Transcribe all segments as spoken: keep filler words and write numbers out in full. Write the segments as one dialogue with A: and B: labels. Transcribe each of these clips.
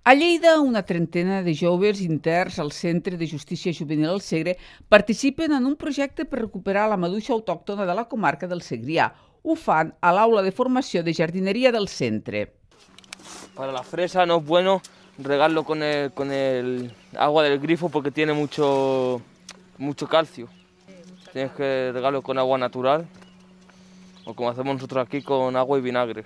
A: A Lleida, una trentena de joves interns al Centre de Justícia Juvenil al Segre participen en un projecte per recuperar la maduixa autòctona de la comarca del Segrià. Ho fan a l'aula de formació de jardineria del centre.
B: Para la fresa no es bueno regarlo con el, con el agua del grifo porque tiene mucho, mucho calcio. Tienes que regarlo con agua natural o como hacemos nosotros aquí con agua y vinagre.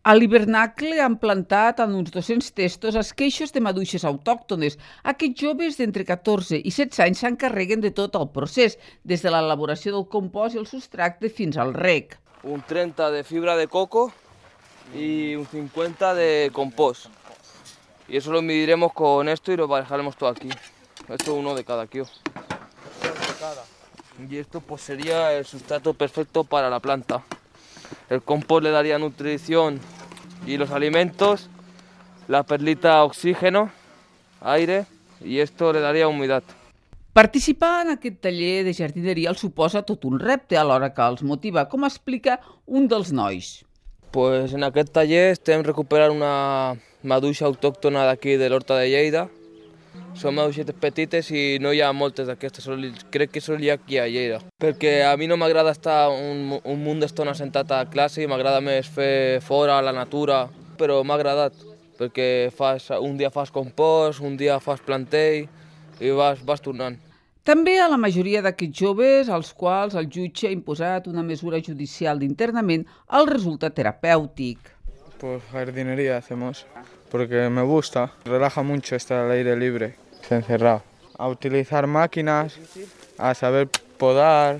A: A l'hivernacle han plantat en uns dos-cents testos esqueixos de maduixes autòctones. Aquests joves d'entre catorze i setze anys s'encarreguen de tot el procés, des de l'elaboració del compost i el substracte fins al rec.
B: Un treinta de fibra de coco y un cincuenta de compost. Y eso lo mediremos con esto y lo dejaremos todo aquí. Esto uno de cada kilo. Y esto pues sería el sustrato perfecto para la planta. El compost le daría nutrición y los alimentos, la perlita oxígeno, aire y esto le daría humedad.
A: Participar en aquest taller de jardineria els suposa tot un repte alhora que els motiva, com explica un dels nois.
B: Pues en aquest taller estem recuperant una maduixa autòctona d'aquí de l'Horta de Lleida. Són maduixetes petites i no hi ha moltes d'aquestes, crec que són hi ha aquí a Lleida. Perquè a mi no m'agrada estar un, un munt d'estona sentat a classe, m'agrada més fer fora, a la natura, però m'ha agradat, perquè fas, un dia fas compost, un dia fas plantell i vas, vas tornant.
A: També a la majoria d'aquests joves, als quals el jutge ha imposat una mesura judicial d'internament, el resulta terapèutic.
C: Pues jardinería hacemos, porque me gusta, relaja mucho estar al aire libre, encerrado. A utilizar máquinas, a saber podar.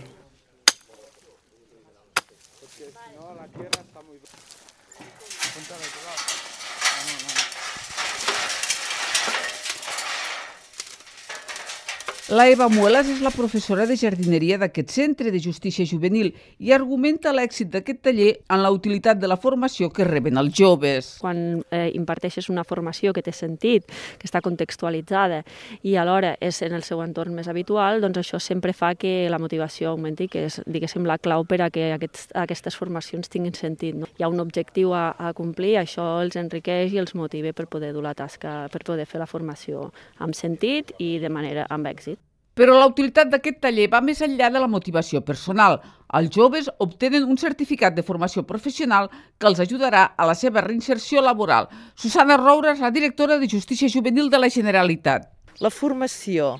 C: La Eva Muelas és la professora de jardineria d'aquest centre de justícia juvenil i argumenta l'èxit d'aquest taller en la utilitat de la formació que reben els joves.
D: Quan eh, imparteixes una formació que té sentit, que està contextualitzada i alhora és en el seu entorn més habitual, doncs això sempre fa que la motivació augmenti, que és, diguéssim, la clau per a que aquests, aquestes formacions tinguin sentit. No? Hi ha un objectiu a, a complir, això els enriqueix i els motiva per poder dur la tasca, per poder fer la formació amb sentit i de manera amb èxit.
A: Però la utilitat d'aquest taller va més enllà de la motivació personal. Els joves obtenen un certificat de formació professional que els ajudarà a la seva reinserció laboral. Susana Roura és la directora de Justícia Juvenil de la Generalitat.
E: La formació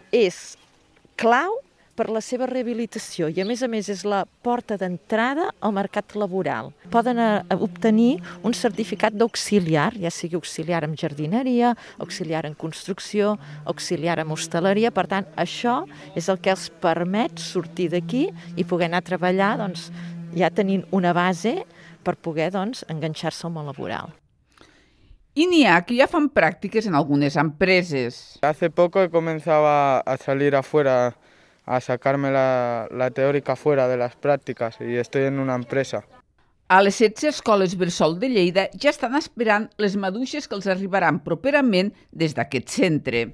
E: és clau per la seva rehabilitació i, a més a més, és la porta d'entrada al mercat laboral. Poden obtenir un certificat d'auxiliar, ja sigui auxiliar en jardineria, auxiliar en construcció, auxiliar en hostaleria. Per tant, això és el que els permet sortir d'aquí i poder anar a treballar doncs, ja tenint una base per poder doncs, enganxar-se al món laboral.
A: I n'hi ha que ja fan pràctiques en algunes empreses.
C: Hace poco he comenzado a salir afuera a sacarme la, la teórica fuera de las prácticas y estoy en una empresa.
A: A les setze escoles bressol de Lleida ja estan esperant les maduixes que els arribaran properament des d'aquest centre.